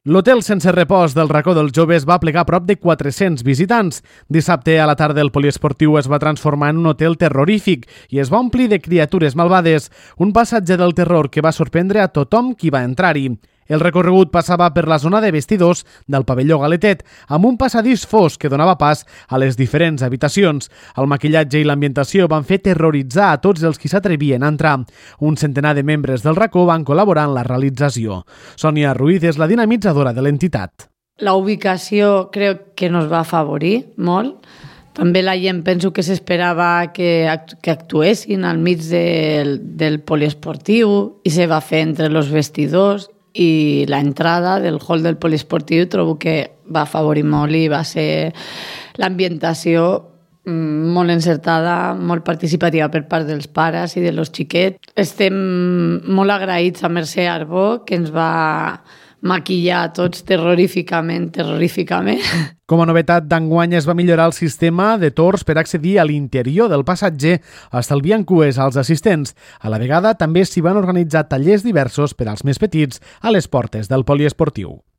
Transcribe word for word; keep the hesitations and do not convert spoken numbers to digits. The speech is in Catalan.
L'hotel sense repòs del Racó dels Joves va plegar prop de quatre-cents visitants. Dissabte a la tarda el poliesportiu es va transformar en un hotel terrorífic i es va omplir de criatures malvades, un passatge del terror que va sorprendre a tothom qui va entrar-hi. El recorregut passava per la zona de vestidors del pavelló Galetet, amb un passadís fosc que donava pas a les diferents habitacions. El maquillatge i l'ambientació van fer terroritzar a tots els qui s'atrevien a entrar. Un centenar de membres del Racó van col·laborar en la realització. Sònia Ruiz és la dinamitzadora de l'entitat. La ubicació crec que nos va afavorir molt. També la gent penso que s'esperava que, act que actuessin al mig del, del poliesportiu i se va fer entre els vestidors i l'entrada del hall del poliesportiu trobo que va afavorir molt i va ser l'ambientació molt encertada, molt participativa per part dels pares i dels xiquets. Estem molt agraïts a Mercè Arbó, que ens va maquillar tots terroríficament, terroríficament. Com a novetat d'enguany es va millorar el sistema de torns per accedir a l'interior del passatger, estalviant cues als assistents. A la vegada també s'hi van organitzar tallers diversos per als més petits a les portes del poliesportiu.